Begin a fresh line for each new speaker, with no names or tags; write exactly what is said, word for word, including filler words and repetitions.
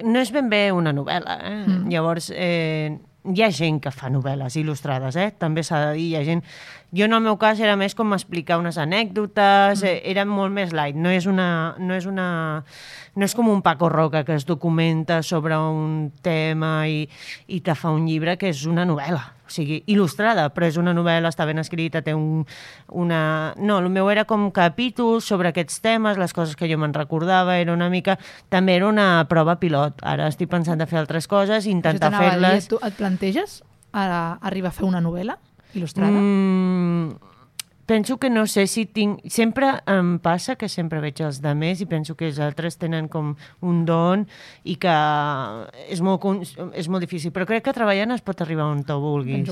no és ben bé una novel·la, eh? Mm. Llavors, eh, hi ha gent que fa novel·les il·lustrades, eh? També s'ha de dir, hi ha gent... Jo, en el meu cas, era més com explicar unes anècdotes, mm. era molt més light, no és una... No és, una, no és com un Paco Roca que es documenta sobre un tema i, i te fa un llibre que és una novel·la, o sigui, il·lustrada, però és una novel·la, està ben escrita, té un, una... No, el meu era com capítols sobre aquests temes, les coses que jo me'n recordava, era una mica... També era una prova pilot. Ara estic pensant de fer altres coses, intentar fer-les...
Tu et planteges a arribar a fer una novel·la il·lustrada?
Mm, penso que no sé si tinc... Sempre em passa que sempre veig els demés i penso que els altres tenen com un don i que és molt, és molt difícil. Però crec que treballant es pot arribar on tu vulguis.
Penso,